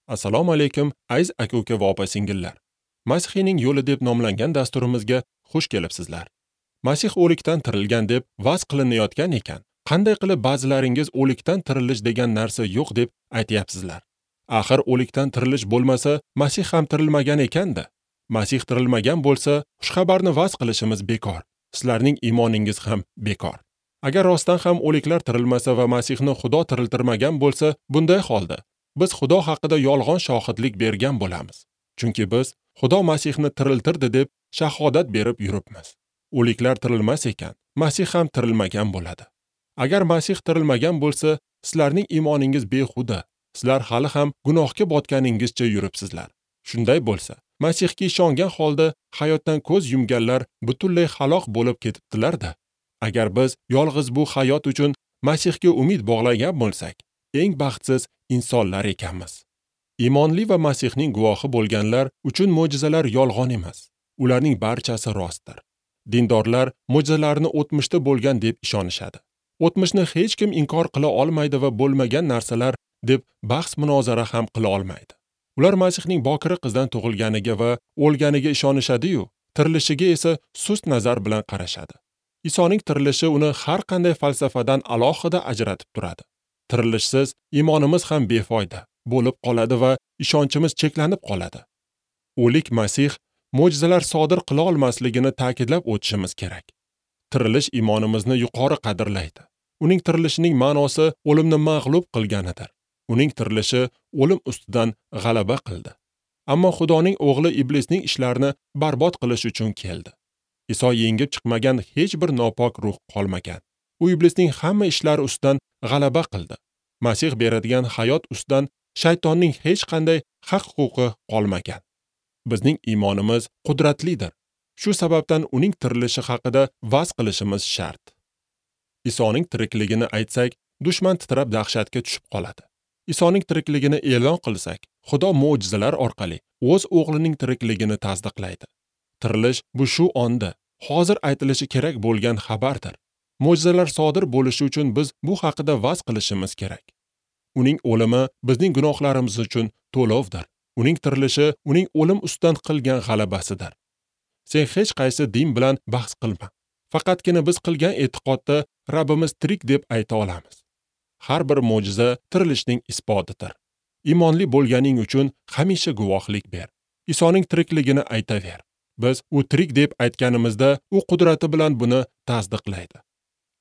Assalomu alaykum, aziz aka-uka va opa-singillar. Masihning yo'li deb nomlangan dasturimizga xush kelibsizlar. Masih o'likdan tirilgan deb va'z qilinayotgan ekan. Qanday qilib ba'zilaringiz o'likdan tirilish degan narsa yo'q deb aytayapsizlar? Axir o'likdan tirilish bo'lmasa, Masih ham tirilmagan ekan-da. Masih tirilmagan bo'lsa, xushxabarni va'z qilishimiz bekor. Sizlarning iymoningiz ham bekor. Agar rostdan ham o'liklar tirilmasa va Masihni Xudo tiriltirmagan bo'lsa, bunday holda biz Xudo haqida yolg'on shohidlik bergan bo'lamiz. Chunki biz Xudo Masihni tiriltirdi deb shahodat berib yuribmiz. O'liklar tirilmas ekan, Masih ham tirilmagan bo'ladi. Agar Masih tirilmagan bo'lsa, sizlarning iymoningiz behuda. Sizlar hali ham gunohga botganingizcha yuribsizlar. Shunday bo'lsa, Masihga ishongan holda hayotdan ko'z yumganlar butunlay halok bo'lib ketibdilar-da. Agar biz yolg'iz bu hayot uchun Masihga umid bog'lagan bo'lsak, eng baxtsiz insonlar ekanmiz. Iymonli va Masihning guvohi bo'lganlar uchun mo'jizalar yolg'on emas. Ularning barchasi rostdir. Dindorlar mo'jizalarni o'tmishda bo'lgan deb ishonishadi. O'tmishni hech kim inkor qila olmaydi va bo'lmagan narsalar deb bahs munozara ham qila olmaydi. Ular Masihning bokira qizdan tug'ilganiga va o'lganiga ishonishadi-yu, tirilishiga esa sust nazar bilan qarashadi. Isoning tirilishi uni har qanday falsafadan alohida ajratib turadi. Tirilishsiz iymonimiz ham befoyda bo'lib qoladi va ishonchimiz cheklanib qoladi. O'lik Masih mo'jizalar sodir qila olmasligini ta'kidlab o'tishimiz kerak. Tirilish iymonimizni yuqori qadrlaydi. Uning tirilishining ma'nosi o'limni mag'lub qilganidir. Uning tirilishi o'lim ustidan g'alaba qildi. Ammo Xudoning o'g'li iblisning ishlarini barbod qilish uchun keldi. Iso yengib chiqmagan hech bir nopok ruh qolmagan. U iblisning hamma ishlari ustidan g'alaba qildi. Masih beradigan hayot ustidan shaytonning hech qanday haq-huquqi qolmagan. Bizning iymonimiz qudratlidir. Shu sababdan uning tirilishi haqida va'z qilishimiz shart. Isoning tirikligini aytsak, dushman titrab dahshatga tushib qoladi. Isoning tirikligini e'lon qilsak, Xudo mo'jizalar orqali o'z o'g'lining tirikligini tasdiqlaydi. Tirilish bu shu onda, hozir aytilishi kerak bo'lgan xabardir. Mo'jizalar sodir bo'lishi uchun biz bu haqida va'z qilishimiz kerak. Uning o'limi bizning gunohlarimiz uchun to'lovdir. Uning tirilishi uning o'lim ustidan qilgan g'alabasidir. Sen hech qaysi din bilan bahs qilma. Faqatgina biz qilgan e'tiqodda Rabbimiz tirik deb ayta olamiz. Har bir mo'jiza tirilishning isbotidir. Iymonli bo'lganing uchun hamisha guvohlik ber. Isoning tirikligini aytaver. Biz u tirik deb aytganimizda u qudrati bilan buni tasdiqlaydi.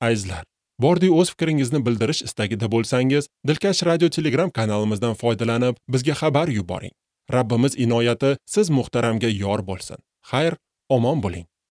Azizlar, bordi o'z fikringizni bildirish istagida bo'lsangiz, Dilkash Radio Telegram kanalimizdan foydalanib, bizga xabar yuboring. Rabbimiz inoyati siz muhtaramga yor bo'lsin. Xayr, omon bo'ling.